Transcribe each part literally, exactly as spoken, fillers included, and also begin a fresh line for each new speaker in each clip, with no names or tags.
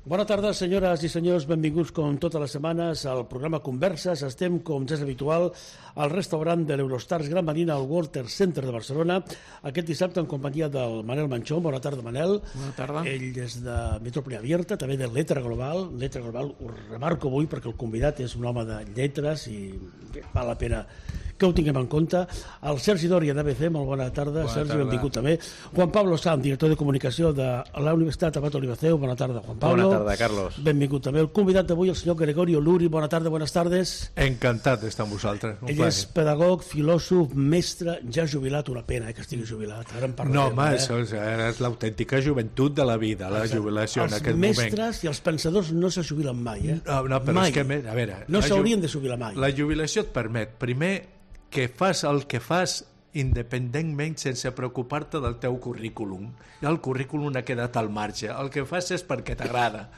Bona tarda, senyores i senyors, benvinguts com totes les setmanes al programa Converses. Estem, com ja és habitual, al restaurant de l'Eurostars Gran Marina al Walter Center de Barcelona, aquest dissabte en companyia del Manel Manchón. Bona tarda, Manel.
Bona tarda.
Ell és de Metrópoli Abierta, també de Letra Global. Letra Global ho remarco avui perquè el convidat és un home de lletres i val la pena que ho tinguem en compte. El Sergi Doria d'A B C, molt bona tarda.
Bona
Sergi,
tarda.
benvingut també. Juan Pablo Sanz, director de comunicació de la Universitat Abat Olivaceu. Bona tarda, Juan Pablo.
Bona tarda, Carlos.
Benvingut també el convidat d'avui, el senyor Gregorio Luri. Bona tarda, buenas tardes.
Encantat d'estar amb vosaltres. Un
Ell
plaer.
és pedagog, filòsof, mestre, ja jubilat, una pena eh, que estigui jubilat. Ara en parlarem.
No, home,
eh?
això és, és l'autèntica joventut de la vida, la jubilació en
Els
aquest moment.
mestres i els pensadors no se jubilen mai, eh?
No, no, però
mai.
és que, a veure...
No
la ju-
s'haurien de jubilar mai.
La jubilació et permet, primer, que fas el que fas independentment sense preocupar-te del teu currículum. El currículum ha quedat al marge. El que fas és perquè t'agrada.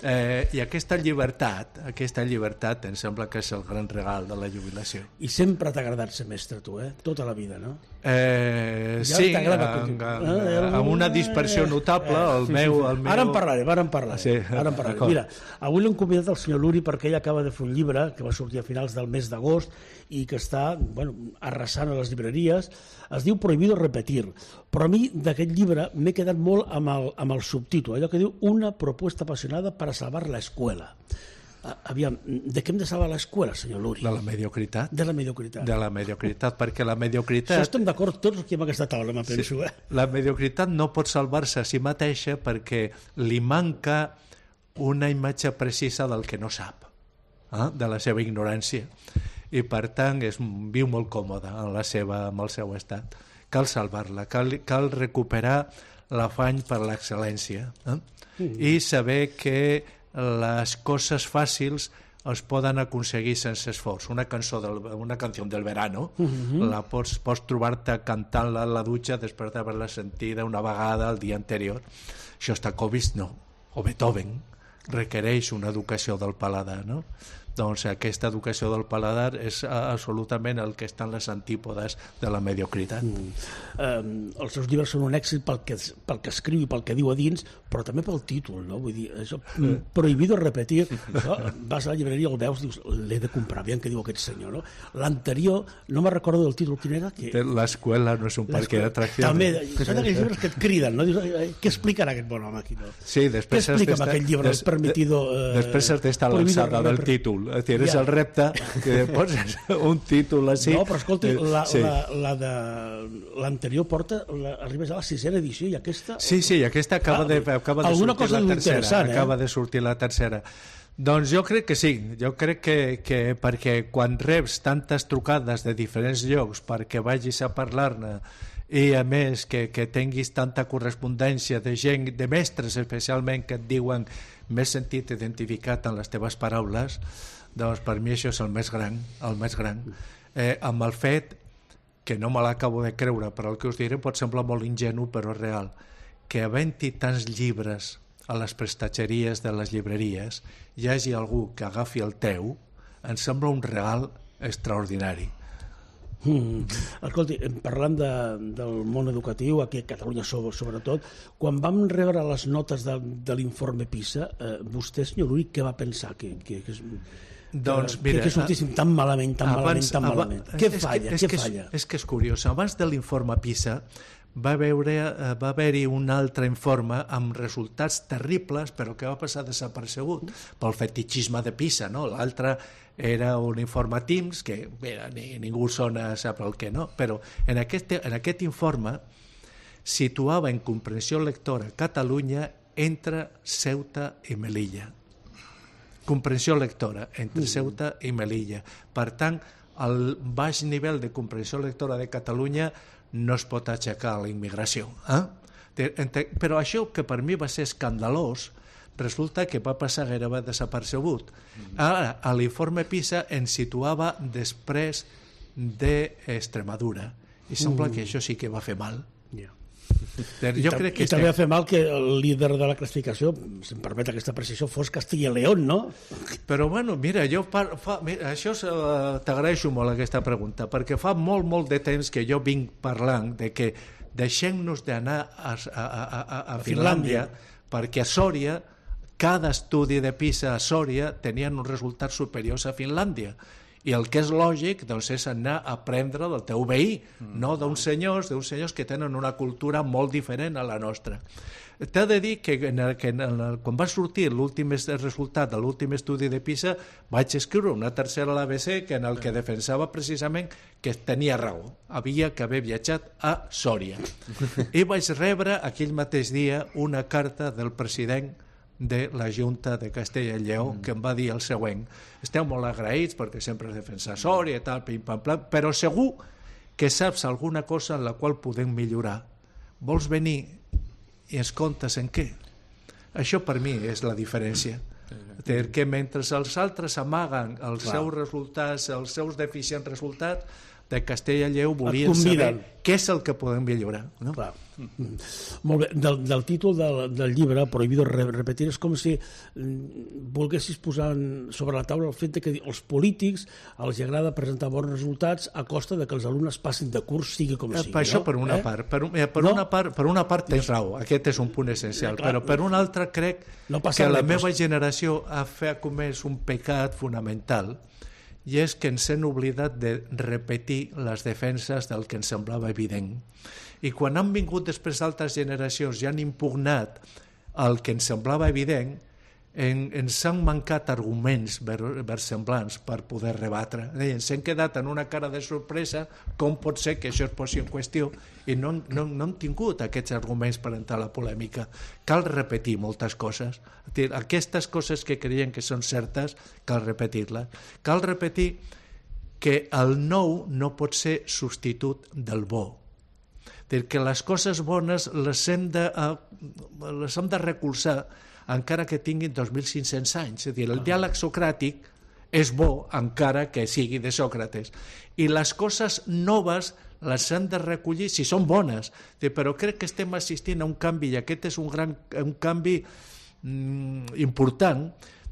Eh, I aquesta llibertat, aquesta llibertat em sembla que és el gran regal de la jubilació.
I sempre t'ha agradat ser mestre, tu, eh? Tota la vida, no?
Eh,
Ja
sí,
t'agrada
amb,
continuar.
amb, amb una dispersió notable. El
Sí,
meu,
sí, sí.
el meu...
Ara en parlarem, ara en parlarem.
Sí,
ara en parlarem.
d'acord.
Mira, avui l'hem convidat el senyor Luri perquè ell acaba de fer un llibre que va sortir a finals del mes d'agost i que està, bueno, arrasant a les llibreries. Es diu Prohibido repetir, però a mi d'aquest llibre m'he quedat molt amb el, amb el subtítol, allò que diu Una propuesta apasionada para salvar la escuela. A- Aviam, de què hem de salvar l'escola, senyor Luri?
De la mediocritat.
De la mediocritat.
De la mediocritat, perquè la
Això
mediocritat...
estem d'acord tots aquí amb aquesta taula, me penso,
Sí,
eh?
la mediocritat no pot salvar-se a si mateixa perquè li manca una imatge precisa del que no sap, eh? De la seva ignorància. I per tant és, viu molt còmode en, la seva, en el seu estat. Cal salvar-la, cal, cal recuperar l'afany per l'excel·lència, eh? Mm. I saber que les coses fàcils es poden aconseguir sense esforç. Una cançó del, una canció del verano, mm-hmm. la pots, pots trobar-te cantant-la a la dutxa després d'haver-la sentida una vegada el dia anterior. Shostakovich no, o Beethoven requereix una educació del paladar, no? Doncs aquesta educació del paladar és absolutament el que estan les antípodes de la mediocritat.
Mm. Eh, els seus llibres són un èxit pel que, pel que escriu i pel que diu a dins, però també pel títol, no? Vull dir, això, prohibido repetir. No? Vas a la llibreria, el veus, dius, l'he de comprar, aviam què diu aquest senyor, no? L'anterior, no me'n recordo del títol, quin era? Que...
L'escola no és un parque d'atraccions.
També, són aquells llibres que et criden, no? Dius, ai, ai, què explicarà aquest bon home aquí, no?
Sí, després
què explica amb aquest llibre, el permitido...
Eh, després has d'estar a l'alçada del títol. És dir, és
Ja.
el repte que poses un títol així.
No, però escolta, la,
sí.
la, la de l'anterior porta, la, arribes a la sisena edició i aquesta...
Sí, sí, aquesta acaba,
Ah,
de, acaba de
alguna
sortir
cosa
la tercera.
interessant, eh?
Acaba de sortir la tercera. Doncs jo crec que sí, jo crec que, que perquè quan reps tantes trucades de diferents llocs perquè vagis a parlar-ne i a més que, que tinguis tanta correspondència de gent, de mestres especialment, que et diuen m'he sentit identificat en les teves paraules, doncs per mi això és el més gran, el més gran. Eh, amb el fet que no me l'acabo de creure, però el que us diré pot semblar molt ingenu, però és real, que havent-hi tants llibres a les prestatgeries de les llibreries hi hagi algú que agafi el teu, em sembla un regal extraordinari.
Mm. Escolti, parlant de, del món educatiu, aquí a Catalunya sobretot, quan vam rebre les notes de, de l'informe PISA, eh, vostè, senyor Luri, què va pensar? Que, que, que,
doncs,
que,
mira,
que sortíssim tan malament, tan
abans,
malament, tan
abans,
malament. Què falla?
És,
Què
que,
falla?
És, és que és curiós. Abans de l'informe PISA va veure, va haver-hi un altre informe amb resultats terribles, però que va passar desapercebut pel fetichisme de PISA, no? L'altre era un informe TIMSS, que bé, ni, ningú sona sap el que no, però en aquest, en aquest informe situava en comprensió lectora Catalunya entre Ceuta i Melilla. Comprensió lectora entre Ceuta i Melilla. Per tant, el baix nivell de comprensió lectora de Catalunya no es pot aixecar a la immigració. Eh? Però això, que per mi va ser escandalós, resulta que va passar gairebé desapercebut. Ara, a l'informe PISA ens situava després d'Extremadura. I sembla que això sí que va fer mal.
Yeah.
Jo crec que
I també va fer mal que el líder de la classificació, si em permet aquesta precisió, fos Castilla y León, no?
Però bueno, mira, jo par, fa, mira, això uh, t'agraeixo molt aquesta pregunta, perquè fa molt, molt de temps que jo vinc parlant de que deixem-nos d'anar a, a, a, a, a Finlàndia, perquè a Sòria cada estudi de PISA a Sòria tenien uns resultats superiors a Finlàndia. I el que és lògic doncs, és anar a aprendre del teu veí, mm. no d'uns senyors, d'uns senyors que tenen una cultura molt diferent a la nostra. T'he de dir que, en el, que en el, quan va sortir l'últim resultat de l'últim estudi de PISA vaig escriure una tercera a l'A B C que en el que defensava precisament que tenia raó, havia que haver viatjat a Sòria. I vaig rebre aquell mateix dia una carta del president de la Junta de Castella i Lleó, mm. que em va dir el següent: esteu molt agraïts perquè sempre has defensat Sòria i tal, pim, pam, pam, però segur que saps alguna cosa en la qual podem millorar. Vols venir i ens contes en què? Això per mi és la diferència. Que mentre els altres amaguen els Clar. seus resultats, els seus deficients resultats, de Castella i Lleó volien saber què és el que podem millorar. No?
Clar. Mm. Molt bé. Del, del títol del, del llibre, Prohibido repetir, és com si mm, volguessis posar sobre la taula el fet que els polítics els agrada presentar bons resultats a costa de que els alumnes passin de curs, sigui com sigui.
Per això,
no?
per una eh? part. Per, un, per, no? una part per una part tens raó, aquest és un punt essencial, eh, clar, però per una altra crec no que la meva generació ha fet comès un pecat fonamental, i és que ens hem oblidat de repetir les defenses del que ens semblava evident. I quan han vingut després altres generacions i han impugnat el que ens semblava evident, en, ens han mancat arguments versemblants per poder rebatre. Ens hem quedat en una cara de sorpresa com pot ser que això es posi en qüestió i no, no, no hem tingut aquests arguments per entrar a la polèmica. Cal repetir moltes coses. Aquestes coses que creiem que són certes, cal repetir-les. Cal repetir que el nou no pot ser substitut del bo. Que les coses bones les hem de, les hem de recolzar encara que tinguin dos mil cinc-cents anys. És a dir, el diàleg socràtic és bo encara que sigui de Sòcrates. I les coses noves les hem de recollir si són bones. Però crec que estem assistint a un canvi, i aquest és un, gran, un canvi mm, important,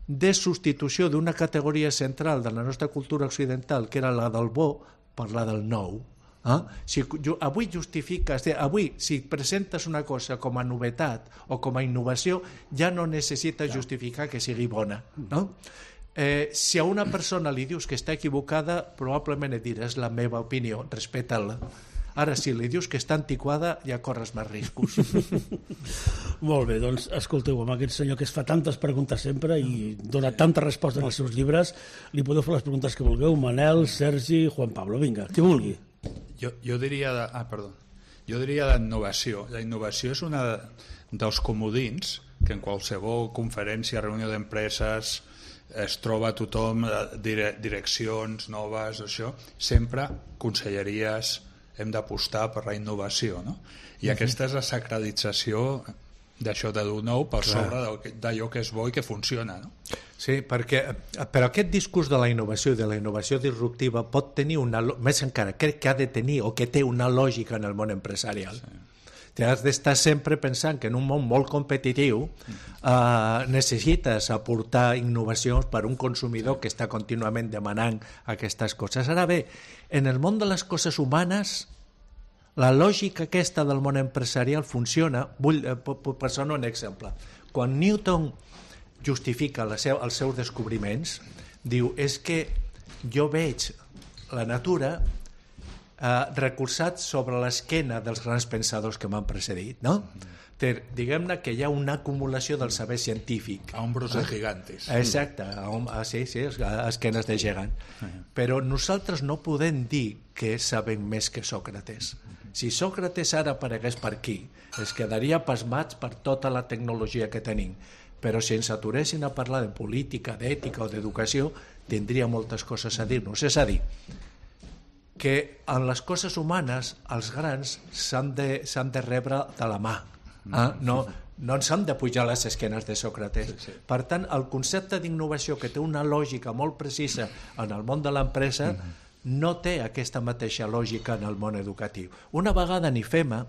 de substitució d'una categoria central de la nostra cultura occidental, que era la del bo, per la del nou. Eh? Si avui justifiques, avui si presentes una cosa com a novetat o com a innovació, ja no necessites justificar que sigui bona, no? Eh, si a una persona li dius que està equivocada, probablement et diràs la meva opinió, respecta-la. Ara, si li dius que està antiquada, ja corres més riscos.
Molt bé, doncs escolteu, amb aquest senyor que es fa tantes preguntes sempre i dona tantes respostes als seus llibres, li podeu fer les preguntes que vulgueu, Manel, Sergi, Juan Pablo, vinga, qui vulgui.
Jo, jo diria de, ah, perdó. Jo diria d'innovació. La innovació és una dels comodins que en qualsevol conferència, reunió d'empreses, es troba tothom, dire, direccions noves, això, sempre conselleries hem d'apostar per la innovació, no? I uh-huh. aquesta és la sacralització d'això de dur nou per Clar. sobre d'allò que és bo i que funciona, no?
Sí, perquè però aquest discurs de la innovació i de la innovació disruptiva pot tenir una, més encara, crec que ha de tenir o que té una lògica en el món empresarial. Sí. Has d'estar sempre pensant que en un món molt competitiu eh, necessites aportar innovacions per a un consumidor que està contínuament demanant aquestes coses. Ara bé, en el món de les coses humanes, la lògica aquesta del món empresarial funciona. Vull eh, posar un exemple. Quan Newton justifica la seu, els seus descobriments, diu, és que jo veig la natura eh, recolzat sobre l'esquena dels grans pensadors que m'han precedit, no? Mm-hmm. Diguem-ne que hi ha una acumulació del saber científic.
A hombros de gigantes.
Exacte, a, a, sí, sí, a esquenes de gegant. Uh-huh. Però nosaltres no podem dir que sabem més que Sòcrates. Uh-huh. Si Sòcrates ara aparegués per aquí, es quedaria pasmats per tota la tecnologia que tenim. Però si ens aturessin a parlar de política, d'ètica o d'educació, tindria moltes coses a dir-nos. És a dir, que en les coses humanes els grans s'han de, s'han de rebre de la mà. Eh? No, no ens hem de pujar a les esquenes de Sòcrates. Sí, sí. Per tant, el concepte d'innovació, que té una lògica molt precisa en el món de l'empresa, mm-hmm. no té aquesta mateixa lògica en el món educatiu. Una vegada en I F E M A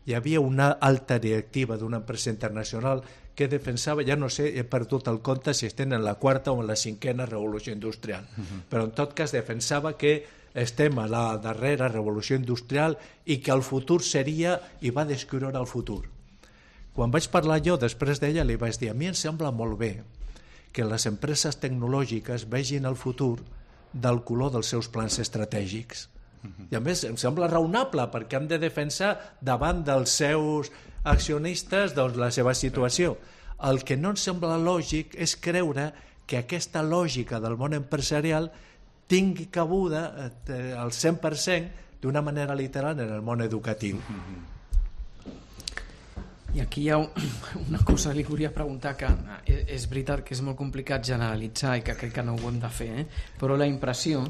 hi havia una alta directiva d'una empresa internacional que defensava, ja no sé, he perdut el compte si estem en la quarta o en la cinquena revolució industrial, uh-huh. però en tot cas defensava que estem a la darrera revolució industrial i que el futur seria, i va descriure el futur, Quan vaig parlar jo després d'ella li vaig dir, a mi em sembla molt bé que les empreses tecnològiques vegin el futur del color dels seus plans estratègics. I a més em sembla raonable perquè hem de defensar davant dels seus accionistes doncs, la seva situació. El que no em sembla lògic és creure que aquesta lògica del món empresarial tingui cabuda eh, al cent per cent d'una manera literal en el món educatiu.
I aquí hi ha una cosa que li volia preguntar, que és veritat que és molt complicat generalitzar i que crec que no ho hem de fer, eh? Però la impressió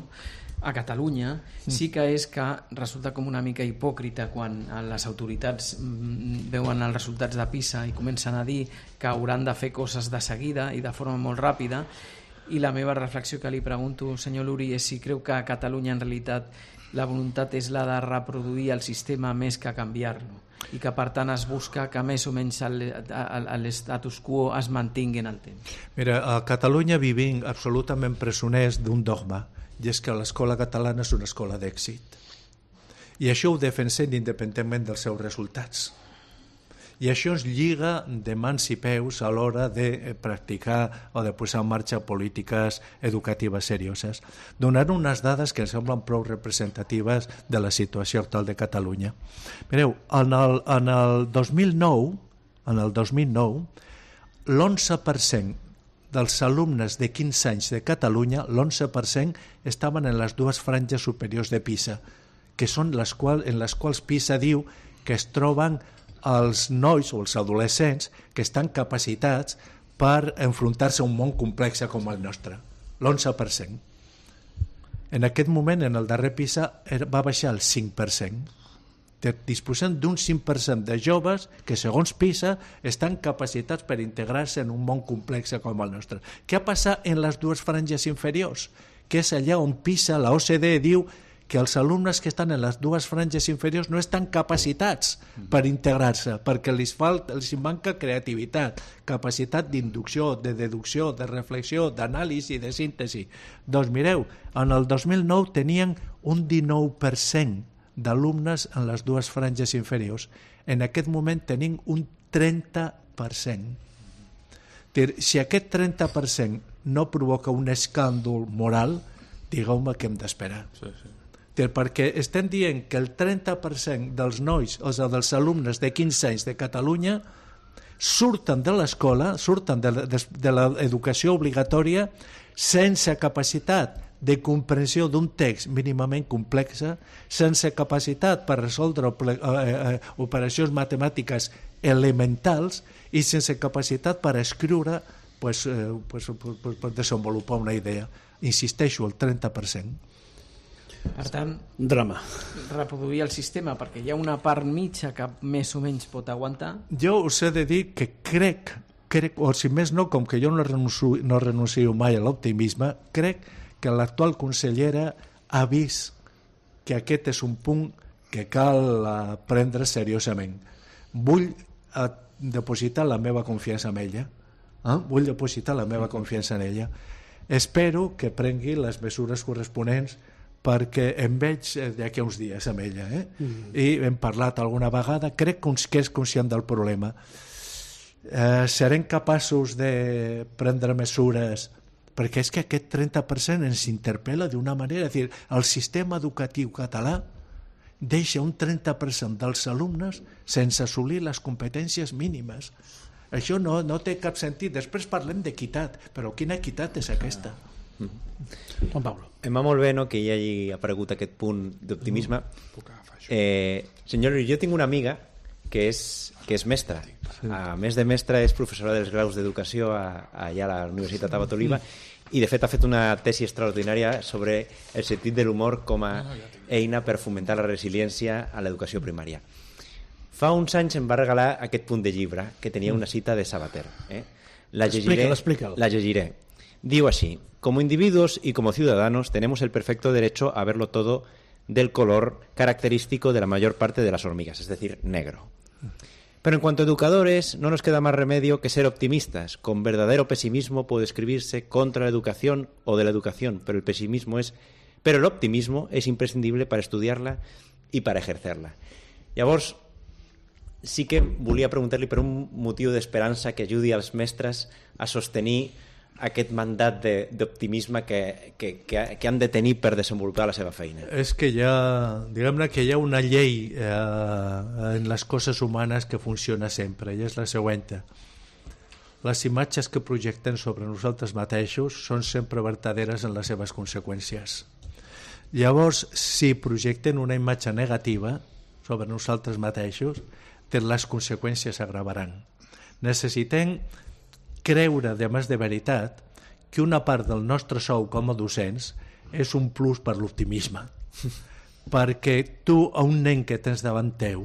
a Catalunya sí que és que resulta com una mica hipòcrita quan les autoritats veuen els resultats de PISA i comencen a dir que hauran de fer coses de seguida i de forma molt ràpida, i la meva reflexió que li pregunto, senyor Luri, és si creu que a Catalunya en realitat la voluntat és la de reproduir el sistema més que canviar-lo, i que per tant es busca que més o menys l'estatus quo es mantingui en el temps.
Mira, a Catalunya vivim absolutament presoners d'un dogma, i és que l'escola catalana és una escola d'èxit. I això ho defensem independentment dels seus resultats. I això ens lliga de mans i peus a l'hora de practicar o de posar en marxa polítiques educatives serioses. Donant unes dades que em semblen prou representatives de la situació actual de Catalunya. Mireu, en el, en el dos mil nou, en el dos mil nou, l'onze per cent dels alumnes de quinze anys de Catalunya, l'onze per cent estaven en les dues franges superiors de PISA, que són les quals, en les quals PISA diu que es troben els nois o els adolescents que estan capacitats per enfrontar-se a un món complex com el nostre, l'onze per cent. En aquest moment, en el darrer PISA, va baixar el cinc per cent. Disposem d'un cinc per cent de joves que, segons PISA, estan capacitats per integrar-se en un món complex com el nostre. Què ha passat en les dues franges inferiors? Que és allà on PISA, la O C D E, diu que els alumnes que estan en les dues franges inferiors no estan capacitats per integrar-se, perquè els falta, els manca creativitat, capacitat d'inducció, de deducció, de reflexió, d'anàlisi, de síntesi. Doncs mireu, en el dos mil nou tenien un dinou per cent d'alumnes en les dues franges inferiors. En aquest moment tenim un trenta per cent. Si aquest trenta per cent no provoca un escàndol moral, digueu-me què hem d'esperar. Sí, sí. Perquè estem dient que el trenta per cent dels nois, o sigui, dels alumnes de quinze anys de Catalunya, surten de l'escola, surten de, de, de l'educació obligatòria sense capacitat de comprensió d'un text mínimament complex, sense capacitat per resoldre eh, eh, operacions matemàtiques elementals i sense capacitat per escriure, pues, eh, pues, pues, per desenvolupar una idea. Insisteixo, el trenta per cent.
Per tant,
drama.
Reproduir el sistema, perquè hi ha una part mitja que més o menys pot aguantar.
Jo us he de dir que crec, crec o si més no, com que jo no renuncio, no renuncio mai a l'optimisme, crec que l'actual consellera ha vist que aquest és un punt que cal prendre seriosament. Vull depositar la meva confiança en ella. Eh? Vull depositar la meva confiança en ella. Espero que prengui les mesures corresponents, perquè em veig d'aquí uns dies amb ella, eh? Mm. I hem parlat alguna vegada, crec que és conscient del problema. Eh, serem capaços de prendre mesures, perquè és que aquest trenta per cent ens interpel·la d'una manera, és a dir, el sistema educatiu català deixa un trenta per cent dels alumnes sense assolir les competències mínimes. Això no, no té cap sentit. Després parlem d'equitat, però quina equitat és aquesta?
Mm.
Juan Pablo.
Em va molt bé, no?, que hi hagi aparegut aquest punt d'optimisme. Eh, senyor, jo tinc una amiga que és, que és mestra. A més de mestra, és professora dels graus d'educació allà a la Universitat Abat Oliba, i de fet ha fet una tesi extraordinària sobre el sentit de l'humor com a eina per fomentar la resiliència a l'educació primària. Fa uns anys em va regalar aquest punt de llibre que tenia una cita de Sabater. Eh? La llegiré,
explícalo, explícalo.
La llegiré. Digo así: como individuos y como ciudadanos tenemos el perfecto derecho a verlo todo del color característico de la mayor parte de las hormigas, es decir, negro. Pero en cuanto a educadores, no nos queda más remedio que ser optimistas. Con verdadero pesimismo puede escribirse contra la educación o de la educación, pero el pesimismo es, pero el optimismo es imprescindible para estudiarla y para ejercerla. Llavors, sí que volia preguntar-li per un motiu d'esperança que ajudi als mestres a sostenir aquest mandat d'optimisme que, que, que, que han de tenir per desenvolupar la seva feina.
És que hi ha, diguem-ne que hi ha una llei eh, en les coses humanes que funciona sempre, i és la següent. Les imatges que projecten sobre nosaltres mateixos són sempre verdaderes en les seves conseqüències. Llavors, si projecten una imatge negativa sobre nosaltres mateixos, les conseqüències s'agravaran. Necessitem creure, de més de veritat, que una part del nostre sou com a docents és un plus per l'optimisme. Perquè tu a un nen que tens davant teu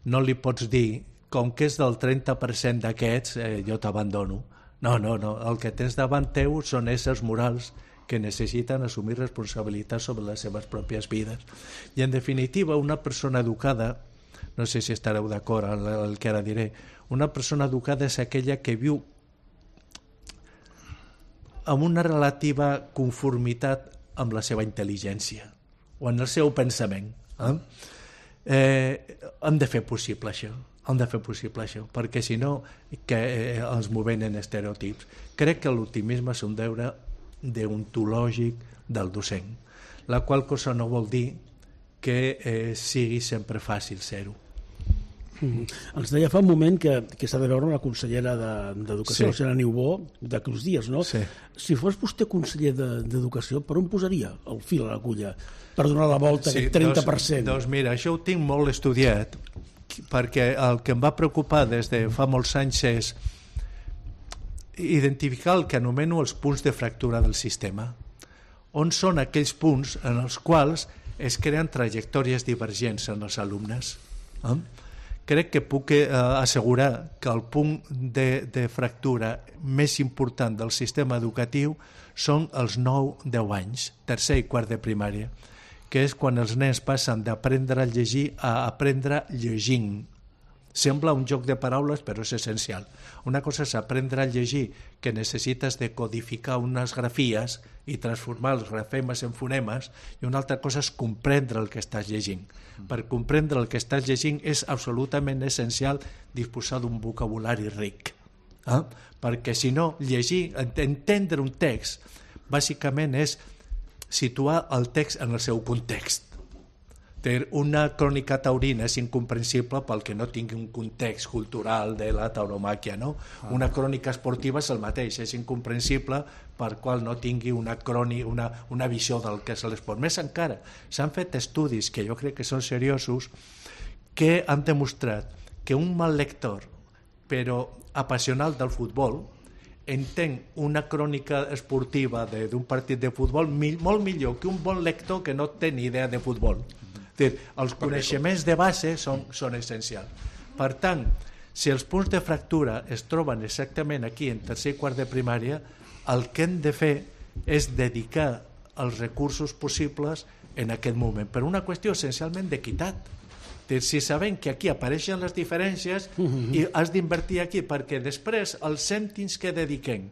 no li pots dir, com que és del trenta per cent d'aquests, eh, jo t'abandono. No, no, no. El que tens davant teu són éssers morals que necessiten assumir responsabilitats sobre les seves pròpies vides. I, en definitiva, una persona educada, no sé si estareu d'acord amb el que ara diré, una persona educada és aquella que viu amb una relativa conformitat amb la seva intel·ligència o en el seu pensament. Eh? Eh, hem de fer possible això, hem de fer possible això, perquè si no que eh, ens movem en estereotips. Crec que l'optimisme és un deure deontològic del docent, la qual cosa no vol dir que eh, sigui sempre fàcil ser-ho.
Mm. Ens deia fa un moment que, que s'ha de veure una consellera d'Educació, de, sí. la senyora Niubó, d'aquí uns dies, no?
Sí.
Si fos vostè conseller d'Educació, de, per on posaria el fil a l'agulla per donar la volta, sí, aquest trenta per cent?
Doncs, doncs mira, això ho tinc molt estudiat, perquè el que em va preocupar des de fa molts anys és identificar el que anomeno els punts de fractura del sistema. On són aquells punts en els quals es creen trajectòries divergents en els alumnes? Eh? Crec que puc eh, assegurar que el punt de, de fractura més important del sistema educatiu són els nou a deu anys, tercer i quart de primària, que és quan els nens passen d'aprendre a llegir a aprendre llegint. Sembla un joc de paraules, però és essencial. Una cosa és aprendre a llegir, que necessites de codificar unes grafies i transformar els grafemes en fonemes, i una altra cosa és comprendre el que estàs llegint. Per comprendre el que estàs llegint és absolutament essencial disposar d'un vocabulari ric. Eh? Perquè si no, llegir, entendre un text, bàsicament és situar el text en el seu context. Una crònica taurina és incomprensible pel que no tingui un context cultural de la tauromàquia, no? Una crònica esportiva és el mateix, és incomprensible per qual no tingui una, crònica, una, una visió del que és l'esport. Més encara, s'han fet estudis que jo crec que són seriosos que han demostrat que un mal lector, però apassionat del futbol, entén una crònica esportiva d'un partit de futbol molt millor que un bon lector que no té ni idea de futbol. Els coneixements de base són, són essencials. Per tant, si els punts de fractura es troben exactament aquí en tercer i quart de primària, el que hem de fer és dedicar els recursos possibles en aquest moment, per una qüestió essencialment d'equitat. Si sabem que aquí apareixen les diferències, i has d'invertir aquí, perquè després els cèntims que dediquem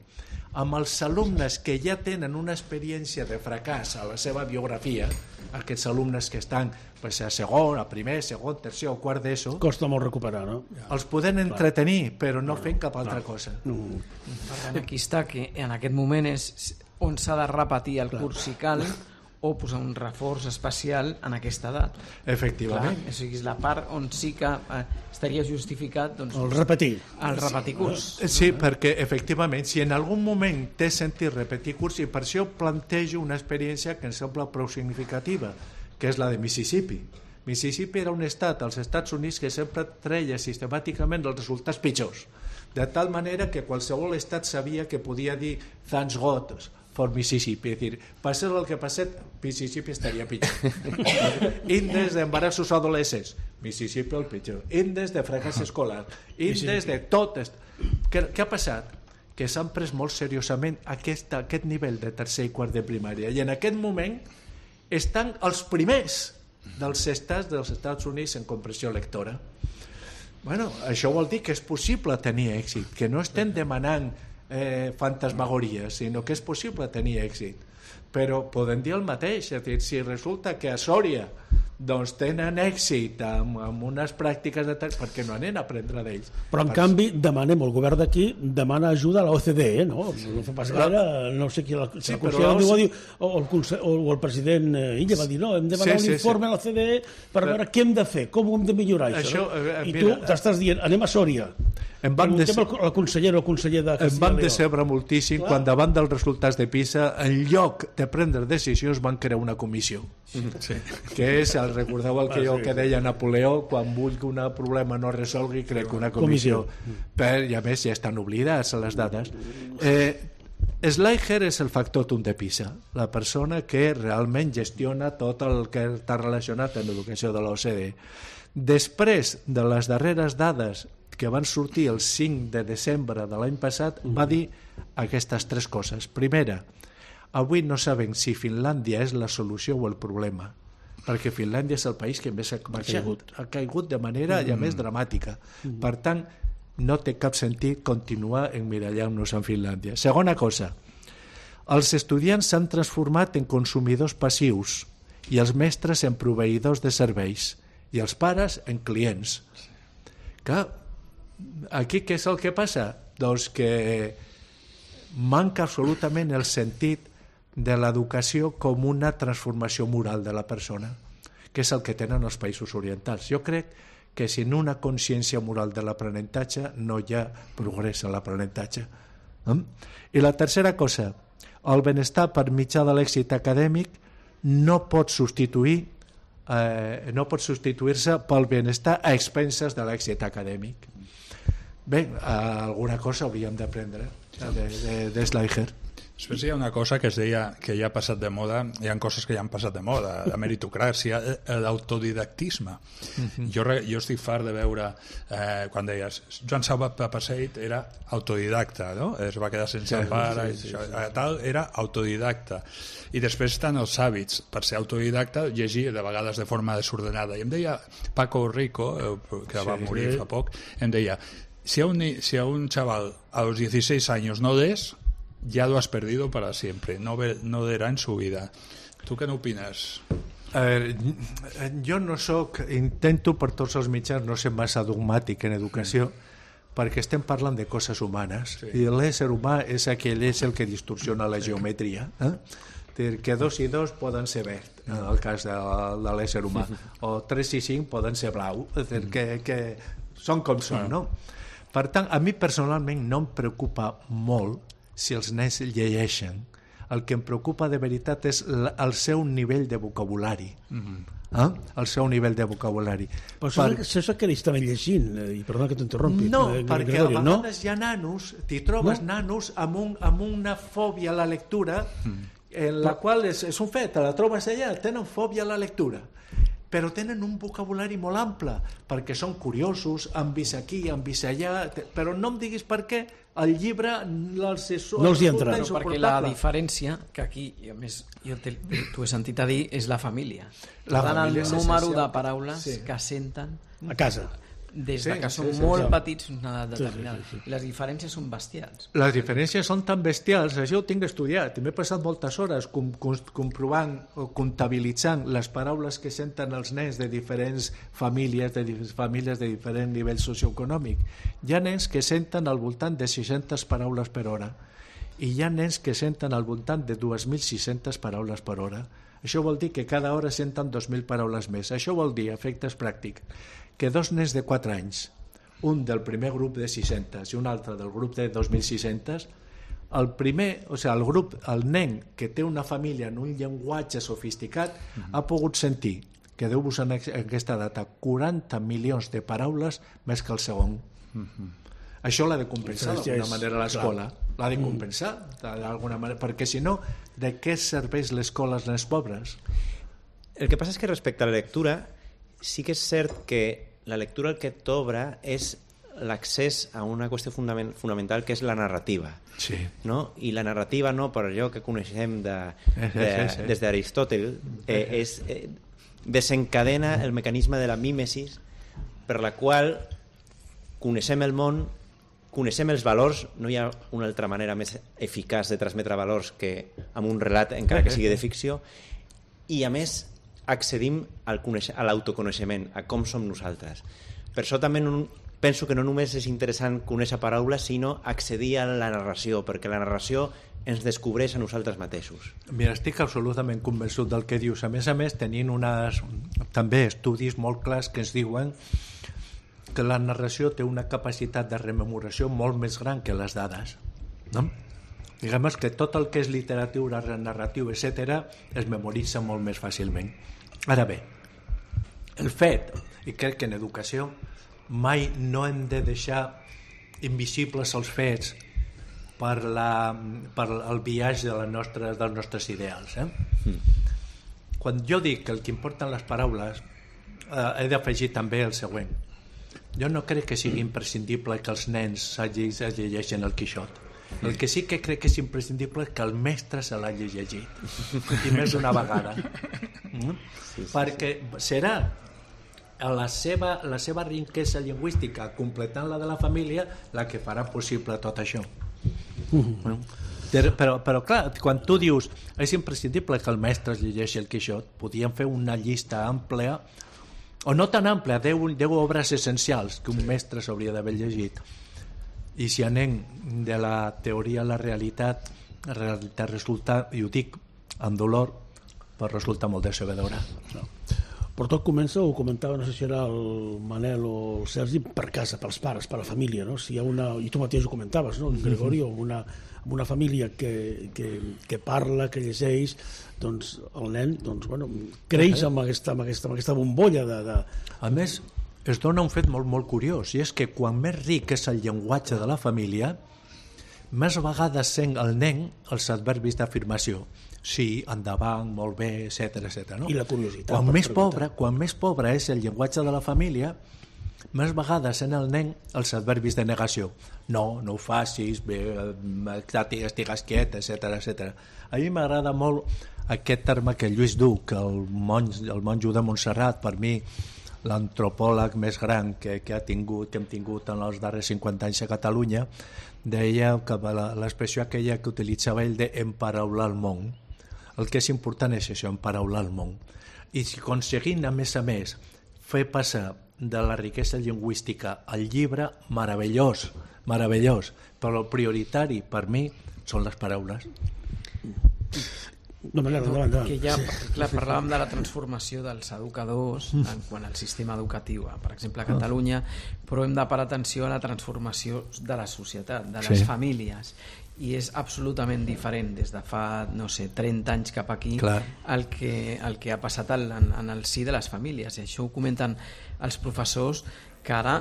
amb els alumnes que ja tenen una experiència de fracàs a la seva biografia, aquests alumnes que estan pues, a segon, a primer, segon, tercer o quart d'ESO,
costa molt recuperar, no?
Els podem entretenir, però no fent cap altra cosa.
No. Per tant, aquí està que en aquest moment és on s'ha de repetir el curs si cal, o posar un reforç especial en aquesta edat.
Efectivament.
Clar, o sigui, és la part on sí que eh, estaria justificat doncs,
el repetir.
El repetir curs.
Sí, perquè efectivament, si en algun moment té sentit repetir curs, i per això plantejo una experiència que em sembla prou significativa, que és la de Mississippi. Mississippi era un estat als Estats Units que sempre treia sistemàticament els resultats pitjors, de tal manera que qualsevol estat sabia que podia dir thanks God for Mississippi, és dir, passés el que passés, Mississippi estaria pitjor. Índex d'embarassos adolescents, Mississippi el pitjor. Índex de fracàs escolar, índex de tot. Què, què ha passat? Que s'han pres molt seriosament aquest, aquest nivell de tercer i quart de primària, i en aquest moment estan els primers dels estats dels Estats Units en comprensió lectora. Bueno, això vol dir que és possible tenir èxit, que no estem demanant Eh, fantasmagories, sinó que és possible tenir èxit. Però podem dir el mateix, és dir, si resulta que a Sòria doncs tenen èxit amb, amb unes pràctiques de tal, perquè no anem a aprendre d'ells.
Però en
per...
canvi demanem, el govern d'aquí demana ajuda a la O C D E, no? No fa pas gaire, no sé qui la,
sí,
la
però
la...
la...
Diu, o, el o el president Illa va dir, no, hem de demanar sí, un informe sí, sí. a la O C D E per però... veure què hem de fer, com ho hem de millorar això, això no? I mira, tu t'estàs dient, anem a Sòria,
em van
de... el conseller o el conseller de
Castilla em van decebre moltíssim Clar. quan davant dels resultats de PISA, en lloc de prendre decisions, van crear una comissió sí. que és, el recordeu el que, ah, sí, que deia Napoleó, quan vull que un problema no resolgui, crec que una comissió, comissió. Per, i a més ja estan oblidats les dades. eh, Schleicher és el factotum de PISA, la persona que realment gestiona tot el que està relacionat amb l'educació de l'O C D E. Després de les darreres dades que van sortir el cinc de desembre de l'any passat, va dir aquestes tres coses. Primera, avui no sabem si Finlàndia és la solució o el problema, perquè Finlàndia és el país que més ha caigut, ha caigut de manera ja més dramàtica. Per tant, no té cap sentit continuar emmirallant-nos en Finlàndia. Segona cosa, els estudiants s'han transformat en consumidors passius i els mestres en proveïdors de serveis i els pares en clients. Clar, aquí què és el que passa? Doncs que manca absolutament el sentit de l'educació com una transformació moral de la persona, que és el que tenen els països orientals. Jo crec que sin una consciència moral de l'aprenentatge no hi ha progrés en l'aprenentatge. I la tercera cosa, el benestar per mitjà de l'èxit acadèmic no pot substituir eh, no pot substituir-se pel benestar a expenses de l'èxit acadèmic. Bé, alguna cosa hauríem d'aprendre de, de, de Schleicher.
Després hi ha una cosa que es deia que ja ha passat de moda, hi ha coses que ja han passat de moda, la meritocràcia, l'autodidactisme. Uh-huh. jo, jo estic fart de veure, eh, quan deies, Joan Salvat Papasseit era autodidacta, no? Es va quedar sense sí, pare, sí, sí, això, sí. Tal, era autodidacta. I després estan els hàbits, per ser autodidacta, llegir de vegades de forma desordenada. I em deia Paco Rico, que sí, va morir sí. fa poc, em deia, si a un, si a un chaval a los dieciséis años no des, ya lo has perdido para siempre, no, ve, no verá en su vida. ¿Tú qué n'opines?
A veure, jo no soc, intento per tots els mitjans no ser massa dogmàtic en educació, mm. perquè estem parlant de coses humanes, sí. i l'ésser humà és aquell ésser que distorsiona la sí. geometria. Eh? Que dos i dos poden ser verd, en el cas de, de l'ésser humà, o tres i cinc poden ser blau, és dir, que, que són com són, no? Per tant, a mi personalment no em preocupa molt si els nens llegeixen. El que em preocupa de veritat és el seu nivell de vocabulari. Mm-hmm. eh? El seu nivell de vocabulari.
Però això, per... això és que ells estaven llegint, i perdona que t'interrompi.
No, eh, perquè Gregorio, a vegades no? hi ha nanos, t'hi trobes no? nanos amb, un, amb una fòbia a la lectura, mm. en la Però... qual és, és un fet, la trobes allà, tenen fòbia a la lectura, però tenen un vocabulari molt ample, perquè són curiosos, han vist aquí, han vist allà, però no em diguis per què el llibre els és,
no els hi entra.
No, perquè la diferència, que aquí, a més, jo t'ho he sentit a dir, és la família. La família el número de paraules sí. que senten
a casa.
Des
sí,
que són
sí, sí,
molt
sí.
petits fins a una edat determinada. Sí, sí, sí. Les diferències són bestials.
Les diferències són tan bestials, això ho tinc estudiat. M'he passat moltes hores com, com, comprovant o comptabilitzant les paraules que senten els nens de diferents famílies, de diferents famílies de diferent nivell socioeconòmic. Hi ha nens que senten al voltant de sis-centes paraules per hora i hi ha nens que senten al voltant de dos mil sis-centes paraules per hora. Això vol dir que cada hora senten dos mil paraules més. Això vol dir, efectes pràctics, que dos nens de quatre anys, un del primer grup de sis-centes i un altre del grup de dos mil sis-centes, el primer, o sigui, el grup, el nen que té una família en un llenguatge sofisticat uh-huh. ha pogut sentir, que deu vos en aquesta data, quaranta milions de paraules més que el segon. Uh-huh. Això l'ha de compensar d'alguna manera l'escola. L'ha de compensar d'alguna manera, perquè si no, de què serveix l'escola als nens pobres?
El que passa és que respecte a la lectura, sí que és cert que la lectura el que t'obre és l'accés a una qüestió fundament, fonamental que és la narrativa.
Sí.
No? I la narrativa, no, per allò que coneixem de, de, sí, sí. des d'Aristòtel, eh, és, eh, desencadena el mecanisme de la mímesis per la qual coneixem el món, coneixem els valors, no hi ha una altra manera més eficaç de transmetre valors que amb un relat, encara que sigui de ficció, i a més accedim al coneix- a l'autoconeixement, a com som nosaltres. Per això també no, penso que no només és interessant conèixer paraules, sinó accedir a la narració, perquè la narració ens descobreix a nosaltres mateixos.
Mira, estic absolutament convençut del que dius. A més a més, tenint unes, també estudis molt clars que ens diuen que la narració té una capacitat de rememoració molt més gran que les dades. No? Diguem que tot el que és literatura, narratiu, etcètera, es memoritza molt més fàcilment. Ara bé, el fet, i crec que en educació mai no hem de deixar invisibles els fets per, la, per el viatge de les nostres, dels nostres ideals. Eh? Mm. Quan jo dic que el que importen les paraules, eh, he d'afegir també el següent. Jo no crec que sigui imprescindible que els nens es llegeixin el Quixot. El que sí que crec que és imprescindible és que el mestre se l'hagi llegit, i més d'una vegada. Mm? Sí, sí, perquè serà la seva, la seva riquesa lingüística, completant la de la família, la que farà possible tot això. Mm. Però, però clar, quan tu dius és imprescindible que el mestre es llegeixi el Quixot, podíem fer una llista àmplia, o no tan àmplia, deu obres essencials que un mestre s'hauria d'haver llegit. I si anem de la teoria a la realitat, la realitat resulta, i ho dic amb dolor, però resulta molt decebedora.
No. Però tot comença, ho comentava, no sé si era el Manel o el Sergi, per casa, pels pares, per la família, no? Si hi ha una, i tu mateix ho comentaves, no? Gregorio, una, una família que, que, que parla, que llegeix, doncs el nen doncs, bueno, creix amb aquesta, amb aquesta, amb aquesta bombolla de, de...
A més, es dona un fet molt, molt curiós, i és que quan més ric és el llenguatge de la família, més vegades sent el nen els adverbis d'afirmació. Sí, endavant, molt bé, etcètera, etcètera. No?
I la curiositat.
Quan més, pobre, quan més pobre és el llenguatge de la família, més vegades sent el nen els adverbis de negació. No, no ho facis, bé, estigues quiet, etcètera, etcètera. A mi m'agrada molt aquest terme que Lluís Duc, el, monj, el monjo de Montserrat, per mi l'antropòleg més gran que, que, ha tingut, que hem tingut en els darrers cinquanta anys a Catalunya, deia que l'expressió aquella que utilitzava ell d'emparaular el món. El que és important és això, emparaular el món. I si aconseguint, a més a més, fer passar de la riquesa lingüística al llibre, meravellós, meravellós, però el prioritari per mi són les paraules.
No, no, no, no.
Que ja, clar, parlàvem de la transformació dels educadors en quant al sistema educatiu, per exemple a Catalunya, però hem de parar atenció a la transformació de la societat, de les sí. famílies, i és absolutament diferent des de fa, no sé, trenta anys cap aquí el que, el que ha passat en, en el si de les famílies, i això ho comenten els professors, que ara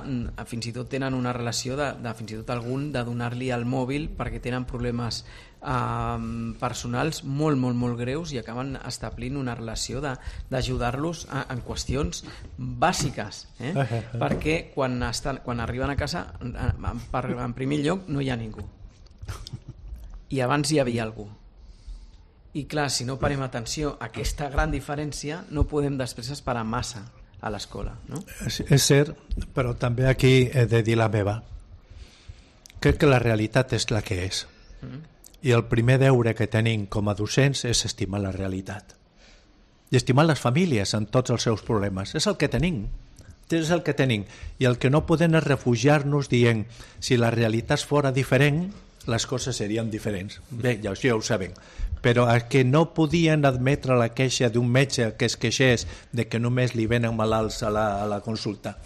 fins i tot tenen una relació de, de fins i tot algun de donar-li el mòbil perquè tenen problemes eh, personals molt, molt, molt greus, i acaben establint una relació d'ajudar-los en qüestions bàsiques, eh? perquè quan, estan, quan arriben a casa en, en primer lloc no hi ha ningú, i abans hi havia algú, i clar, si no parem atenció a aquesta gran diferència, no podem després esperar massa a l'escola, no?
És, és cert, però també aquí he de dir la meva. Crec que la realitat és la que és. Mm-hmm. I el primer deure que tenim com a docents és estimar la realitat. I estimar les famílies en tots els seus problemes. És el que tenim. És el que tenim. I el que no podem és refugiar-nos dient si la realitat fora diferent, les coses serien diferents. Bé, ja, ja ho sabem. Però que no podien admetre la queixa d'un metge que es queixés de que només li venen malalts a la, a la consulta,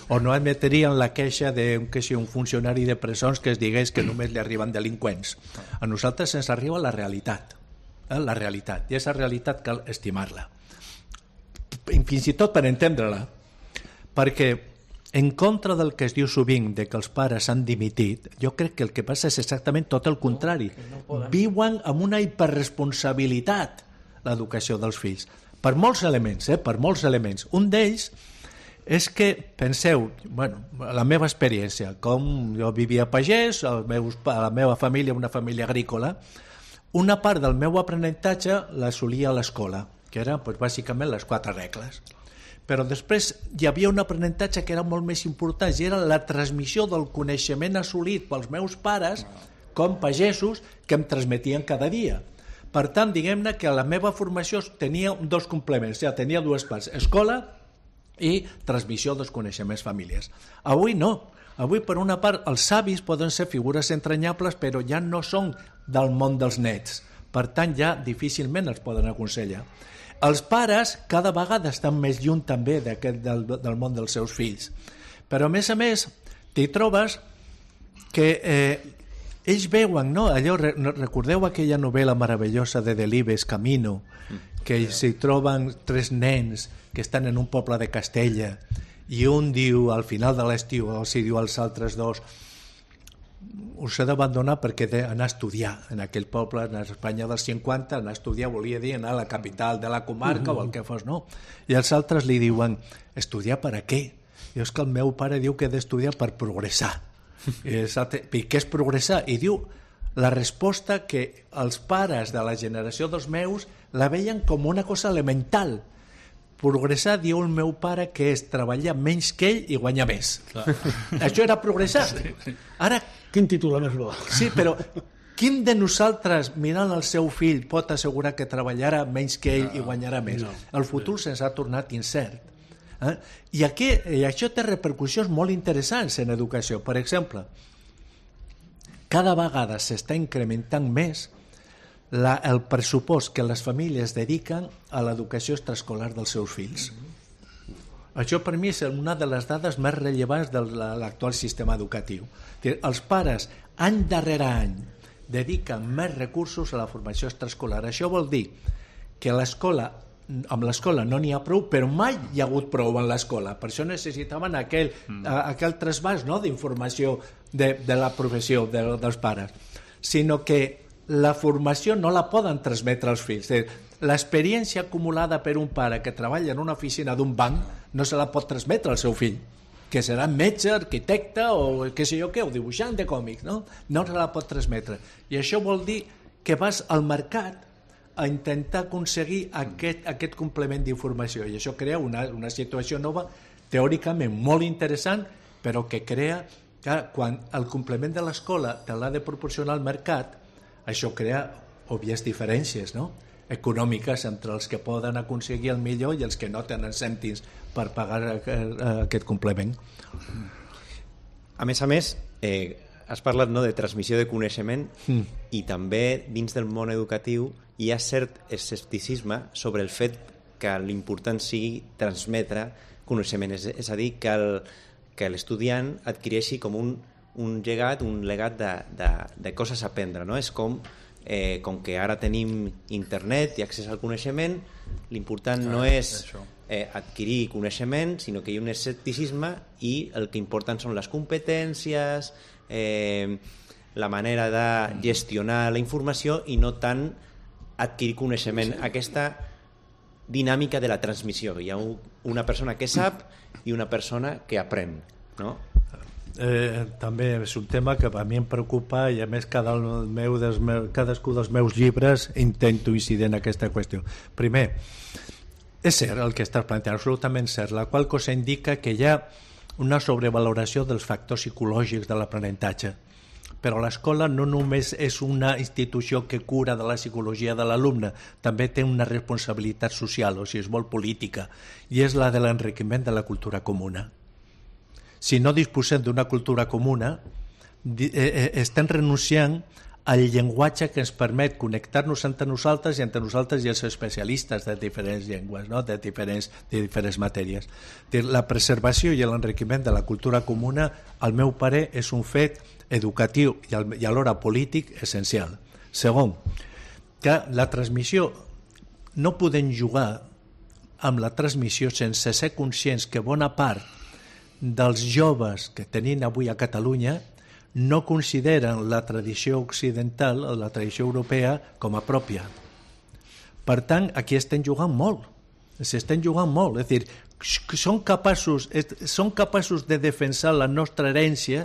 o no admetrien la queixa d'un un funcionari de presons que es digués que només li arriben delinqüents. A nosaltres ens arriba la realitat, eh? la realitat, i aquesta realitat cal estimar-la, fins i tot per entendre-la, perquè en contra del que es diu sovint de que els pares han dimitit, jo crec que el que passa és exactament tot el contrari. No, no viuen amb una hiperresponsabilitat l'educació dels fills. Per molts elements, eh? per molts elements. Un d'ells és que, penseu, bueno, la meva experiència, com jo vivia a pagès, el meu, la meva família, una família agrícola, una part del meu aprenentatge l'assolia a l'escola, que eren pues, bàsicament les quatre regles. Però després hi havia un aprenentatge que era molt més important, i era la transmissió del coneixement assolit pels meus pares com pagesos que em transmetien cada dia. Per tant, diguem-ne que la meva formació tenia dos complements, ja tenia dues parts, escola i transmissió dels coneixements familiars. Avui no. Avui, per una part, els savis poden ser figures entranyables, però ja no són del món dels nets. Per tant, ja difícilment els poden aconsellar. Els pares cada vegada estan més lluny també d'aquest, del, del món dels seus fills. Però, a més a més, t'hi trobes que eh, ells veuen, no? Allò, recordeu aquella novel·la meravellosa de Delibes, Camino, que s'hi troben tres nens que estan en un poble de Castella i un diu al final de l'estiu, o si diu als altres dos, us he d'abandonar perquè he d'anar a estudiar en aquell poble, en Espanya dels cinquanta, anar a estudiar volia dir anar a la capital de la comarca uh-huh. o el que fos, no? I els altres li diuen, estudiar per a què? I és que el meu pare diu que he d'estudiar per progressar. I, I què és progressar? I diu la resposta que els pares de la generació dels meus la veien com una cosa elemental. Progressar, diu el meu pare, que és treballar menys que ell i guanyar més. Clar. Això era progressar. Ara,
quin títol més bo.
Sí, però quin de nosaltres, mirant el seu fill, pot assegurar que treballarà menys que ell i guanyarà més? No. El futur se'ns ha tornat incert. Eh? I, aquí, I això té repercussions molt interessants en educació. Per exemple, cada vegada s'està incrementant més La, el pressupost que les famílies dediquen a l'educació extraescolar dels seus fills. Això per mi és una de les dades més rellevants de l'actual sistema educatiu. Els pares, any darrere any, dediquen més recursos a la formació extraescolar. Això vol dir que l'escola, amb l'escola no n'hi ha prou, però mai hi ha hagut prou en l'escola. Per això necessitaven aquell, mm. aquell trasbàs, no?, d'informació de, de la professió de, dels pares, sinó que la formació no la poden transmetre als fills. L'experiència acumulada per un pare que treballa en una oficina d'un banc no se la pot transmetre al seu fill, que serà metge, arquitecte o què sé jo què, o dibuixant de còmics, no? No se la pot transmetre. I això vol dir que vas al mercat a intentar aconseguir aquest, aquest complement d'informació, i això crea una, una situació nova, teòricament molt interessant, però que crea que quan el complement de l'escola te l'ha de proporcionar al mercat, això crea òbvies diferències, no?, econòmiques entre els que poden aconseguir el millor i els que no tenen cèntims per pagar aquest complement.
A més a més, eh, has parlat, no?, de transmissió de coneixement mm. i també dins del món educatiu hi ha cert escepticisme sobre el fet que l'important sigui transmetre coneixement, és, és a dir, que el, que l'estudiant adquireixi com un un llegat, un legat de, de, de coses a aprendre, no? És com, eh, com que ara tenim internet i accés al coneixement, l'important ah, no és eh, adquirir coneixement, sinó que hi ha un escepticisme i el que importen són les competències, eh, la manera de gestionar la informació i no tant adquirir coneixement. Aquesta dinàmica de la transmissió. Hi ha una persona que sap i una persona que aprèn, no?
Eh, també és un tema que a mi em preocupa i a més cada meu dels meus, cadascú dels meus llibres intento incidir en aquesta qüestió. Primer, és cert el que estàs planteant, absolutament cert, la qual cosa indica que hi ha una sobrevaloració dels factors psicològics de l'aprenentatge, però l'escola no només és una institució que cura de la psicologia de l'alumne, també té una responsabilitat social, o sigui, és molt política, i és la de l'enriquiment de la cultura comuna. Si no disposem d'una cultura comuna, estem renunciant al llenguatge que ens permet connectar-nos entre nosaltres i entre nosaltres i els especialistes de diferents llengües, no?, de, diferents, de diferents matèries. La preservació i l'enriquiment de la cultura comuna, al meu parer, és un fet educatiu i alhora polític essencial. Segon, que la transmissió, no podem jugar amb la transmissió sense ser conscients que bona part dels joves que tenim avui a Catalunya no consideren la tradició occidental o la tradició europea com a pròpia. Per tant, aquí estem jugant molt. S'estem jugant molt. És a dir, són capaços, són capaços de defensar la nostra herència,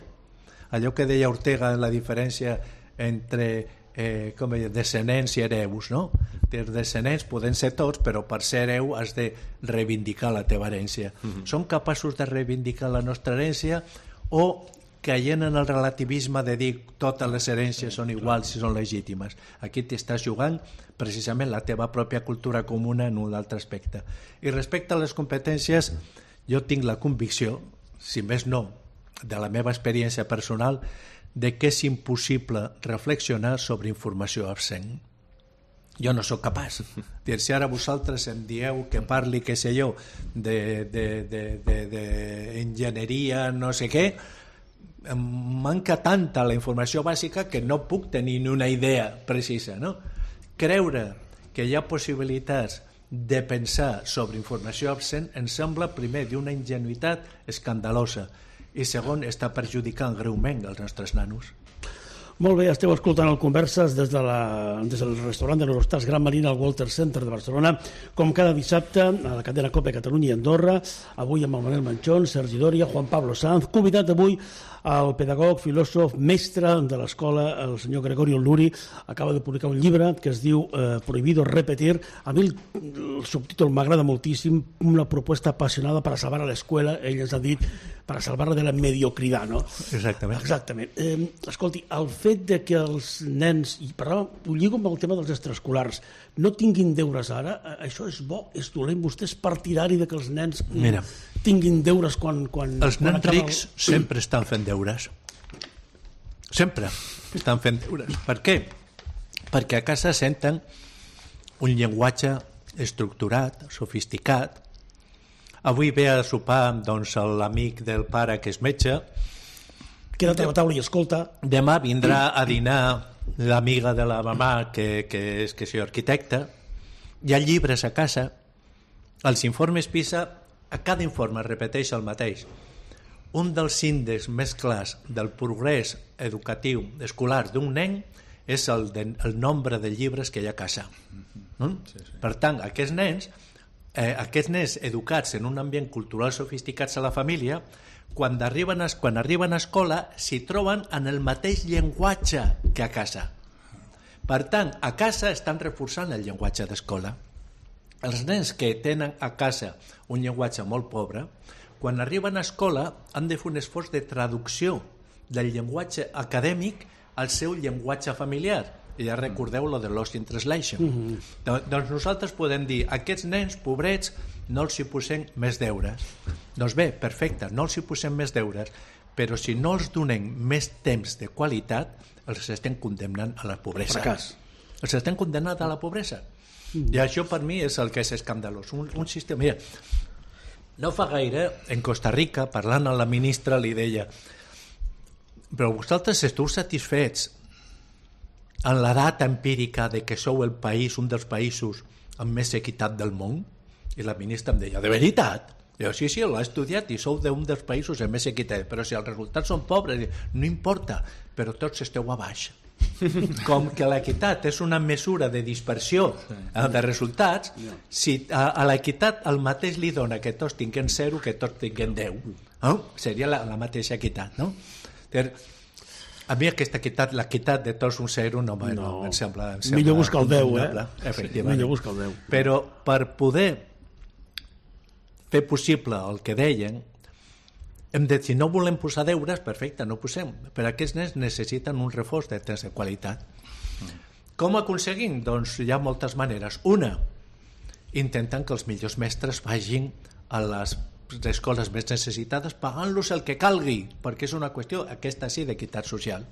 allò que deia Ortega, la diferència entre eh, com deia, descendents i hereus, no? Els descendents poden ser tots, però per ser hereu has de reivindicar la teva herència. Mm-hmm. Som capaços de reivindicar la nostra herència o caient en el relativisme de dir totes les herències són iguals i són legítimes. Aquí t'estàs jugant precisament la teva pròpia cultura comuna en un altre aspecte. I respecte a les competències, jo tinc la convicció, si més no, de la meva experiència personal, de que és impossible reflexionar sobre informació absent. Jo no sóc capaç. Dir, si ara vosaltres em dieu que parli, què sé jo, d'enginyeria, no sé què, em manca tanta la informació bàsica que no puc tenir ni una idea precisa. No? Creure que hi ha possibilitats de pensar sobre informació absent em sembla, primer, d'una ingenuïtat escandalosa i, segon, està perjudicant greument els nostres nanos.
Molt bé, esteu escoltant el Converses des, de la, des del restaurant de l'Eurostars Gran Marina al Walter Center de Barcelona, com cada dissabte a la cadena COPE Catalunya i Andorra, avui amb el Manel Manchón, Sergi Doria, Juan Pablo Sanz, convidat avui el pedagog, filòsof, mestre de l'escola, el senyor Gregorio Luri, acaba de publicar un llibre que es diu eh, Prohibido repetir. A mi el, el subtítol m'agrada moltíssim, una proposta apassionada per a salvar a l'escola, ell ens ha dit, per a salvar-la de la mediocritat, no?
Exactament.
Exactament. Eh, escolti, el fet de que els nens, i parlàvem, ho lligo amb el tema dels extraescolars, no tinguin deures ara, això és bo, és dolent, vostè és partidari de que els nens Mira, tinguin deures quan... quan
els
quan
nens rics el... sempre estan fent deures. Sempre estan fent deures. Per què? Perquè a casa senten un llenguatge estructurat, sofisticat. Avui ve a sopar doncs, l'amic del pare que és metge.
Queda't a la taula i escolta.
Demà vindrà a dinar l'amiga de la mamà que, que és que és arquitecta. Hi ha llibres a casa. Els informes PISA, a cada informe repeteix el mateix. Un dels índexs més clars del progrés educatiu escolar d'un nen és el, de, el nombre de llibres que hi ha a casa. No? Sí, sí. Per tant, aquests nens, eh, aquests nens educats en un ambient cultural sofisticats a la família, quan arriben a, quan arriben a escola s'hi troben en el mateix llenguatge que a casa. Per tant, a casa estan reforçant el llenguatge d'escola. Els nens que tenen a casa un llenguatge molt pobre, quan arriben a escola han de fer un esforç de traducció del llenguatge acadèmic al seu llenguatge familiar. I ja recordeu lo de Lost in Translation. Mm-hmm. Doncs nosaltres podem dir, aquests nens pobrets no els hi posem més deures. Doncs bé, perfecte, no els hi posem més deures, però si no els donem més temps de qualitat, els estem condemnant a la pobresa.
Fracàs.
Els estem condemnant a la pobresa. Mm. I això per mi és el que és escandalós. Un, un sistema... Mira, no fa gaire, en Costa Rica, parlant amb la ministra, li deia, però vosaltres esteu satisfets en la data empírica de que sou el país, un dels països amb més equitat del món? I la ministra em deia, de veritat? Jo, sí, sí, l'ha estudiat i sou d'un dels països amb més equitat, però si els resultats són pobres, no importa, però tots esteu a baix. Com que l'equitat és una mesura de dispersió de resultats, si a, a l'equitat el mateix li dona que tots tinguem zero que tots tinguem deu, no? Seria la, la mateixa equitat, no? A mi aquesta equitat, l'equitat de tots un zero no, no, no em sembla, em sembla
millor buscar el deu, eh?
Efectivament.
Millor buscar el deu.
Però per poder fer possible el que deien, hem de, si no volem posar deures, perfecte, no posem, però aquests nens necessiten un reforç de temps de qualitat. Mm. Com aconseguim? Doncs hi ha moltes maneres. Una, intentant que els millors mestres vagin a les escoles més necessitades pagant-los el que calgui, perquè és una qüestió, aquesta sí, d'equitat social.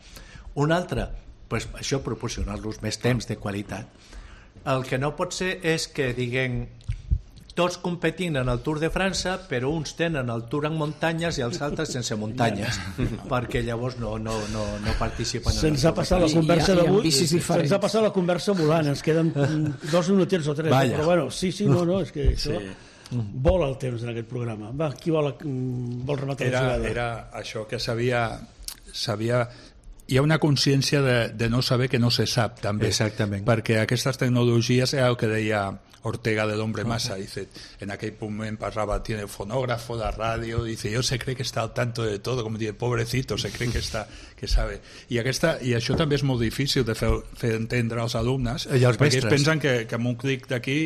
Una altra, pues, això, proporcionar-los més temps de qualitat. El que no pot ser és que diguem tots competint en el Tour de França, però uns tenen el Tour en muntanyes i els altres sense muntanyes, perquè llavors no, no, no, no participen.
Se'ns ha passat la conversa d'avui, se'ns ha passat la conversa volant, ens queden dos minutets o tres, Vaya. Però bueno, sí, sí, no, no, és que això sí. Vola el temps en aquest programa. Va, qui vol, vol rematar
era,
la jugada?
Era això que sabia, sabia... Hi ha una consciència de, de no saber que no se sap, també.
Exactament.
Perquè aquestes tecnologies, era el que deia Ortega del Hombre Masa, dice, en aquel momento pasaba, tiene fonógrafo, da radio, dice, yo se cree que está al tanto de todo, com dice, pobrecito, se cree que està, que sabe. I, aquesta, i això també és molt difícil de fer, fer entendre als alumnes,
I als
perquè ells
mestres.
pensen que, que amb un clic d'aquí,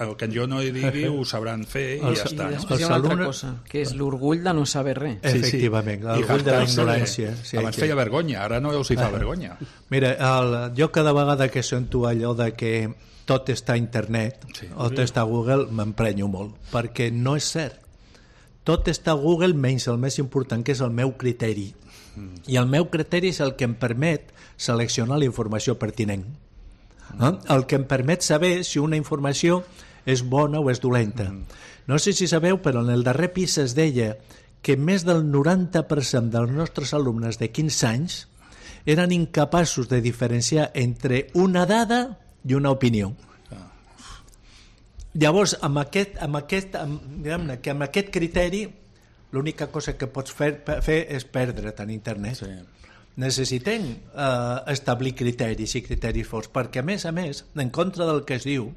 el que jo no hi digui ho sabran fer i
Els-
ja està.
I
No?
després hi ha una altra
alumnes-
cosa, que és l'orgull de no saber res.
Efectivament,
I
l'orgull de la
jactar-se.
ignorància. Sí,
Abans
que-
feia vergonya, ara no els hi fa vergonya.
Mira, el, jo cada vegada que sento allò de que tot està a internet
Sí.
o tot està a Google m'emprenyo molt, perquè no és cert. Tot està a Google menys el més important, que és el meu criteri. I el meu criteri és el que em permet seleccionar la informació pertinent. Eh? El que em permet saber si una informació és bona o és dolenta. No sé si sabeu, però en el darrer PISA es deia que més del noranta per cent dels nostres alumnes de quinze anys eren incapaços de diferenciar entre una dada i una opinió. Llavors, amb aquest, amb aquest, amb, diguem-ne, que amb aquest criteri l'única cosa que pots fer, fer és perdre't en internet.
Sí.
Necessitem eh, establir criteris i criteris forts, perquè a més a més, en contra del que es diu,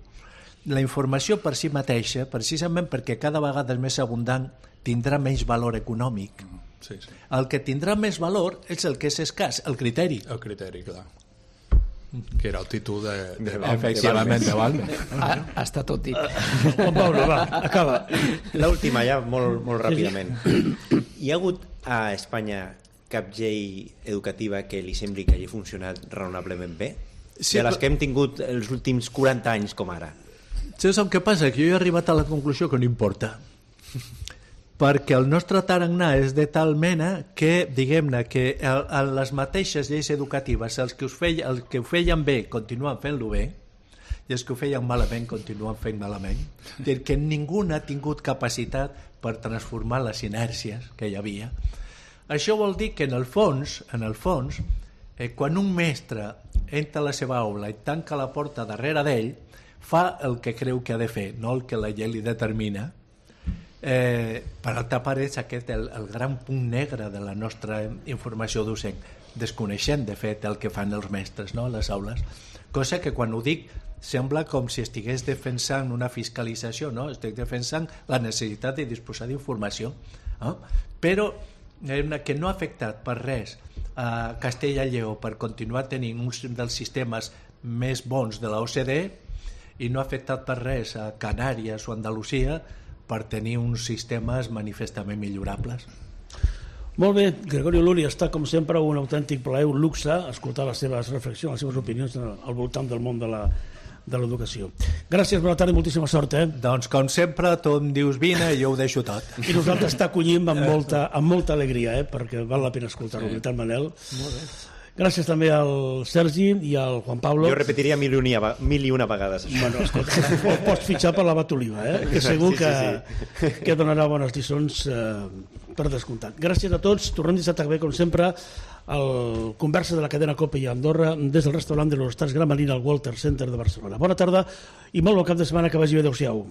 la informació per si mateixa, precisament perquè cada vegada és més abundant, tindrà menys valor econòmic.
Sí, sí.
El que tindrà més valor és el que és escàs, el criteri.
El criteri, clar. Que era el títol de... de
Efectivament, de Balmes.
Ah, està tot dit.
Juan Pablo, va, acaba.
L'última ja, molt, molt ràpidament. Hi ha hagut a Espanya cap llei educativa que li sembli que hagi funcionat raonablement bé?
Sí,
de les
però-
que hem tingut els últims quaranta anys com ara.
Saps el que passa? Que jo he arribat a la conclusió que no importa. Perquè el nostre tarannà és de tal mena que, diguem-ne, que el, el, les mateixes lleis educatives, els que, us feia, els que ho feien bé continuen fent-lo bé, i els que ho feien malament continuen fent malament. És dir, que ningú ha tingut capacitat per transformar les inèrcies que hi havia. Això vol dir que en el fons, en el fons, eh, quan un mestre entra a la seva aula i tanca la porta darrere d'ell, fa el que creu que ha de fer, no el que la llei li determina. Eh, per altra part és aquest el, el gran punt negre de la nostra informació docent, desconeixent de fet el que fan els mestres, no?, a les aules, cosa que quan ho dic sembla com si estigués defensant una fiscalització, no? Estic defensant la necessitat de disposar d'informació, no? Però eh, que no ha afectat per res a Castella i Lleó per continuar tenint un dels sistemes més bons de la O C D E i no ha afectat per res a Canàries o Andalusia per tenir uns sistemes manifestament millorables.
Molt bé, Gregorio Luri, està com sempre un autèntic plaer, un luxe escoltar les seves reflexions, les seves opinions al voltant del món de la de l'educació. Gràcies, bona tarda i moltíssima sort, eh?
Doncs com sempre, tu em dius vine i jo ho deixo tot.
I nosaltres t'acollim amb molta, amb molta alegria, eh? Perquè val la pena escoltar-ho, sí. Veritat, Manel. Molt bé. Gràcies també al Sergi i al Juan Pablo.
Jo repetiria mil i una, mil i una vegades això.
Bueno, escolta, ho pots fitxar per l'abat Oliva, eh? Que segur
Sí, sí,
que, sí. que donarà bones lliçons eh, per descomptat. Gràcies a tots. Tornem dissabte que ve, com sempre, al Conversa de la cadena Cope i Andorra des del restaurant de l'Hostats Gran Marina al Walter Center de Barcelona. Bona tarda i molt bon cap de setmana, que vagi bé. Adéu-siau.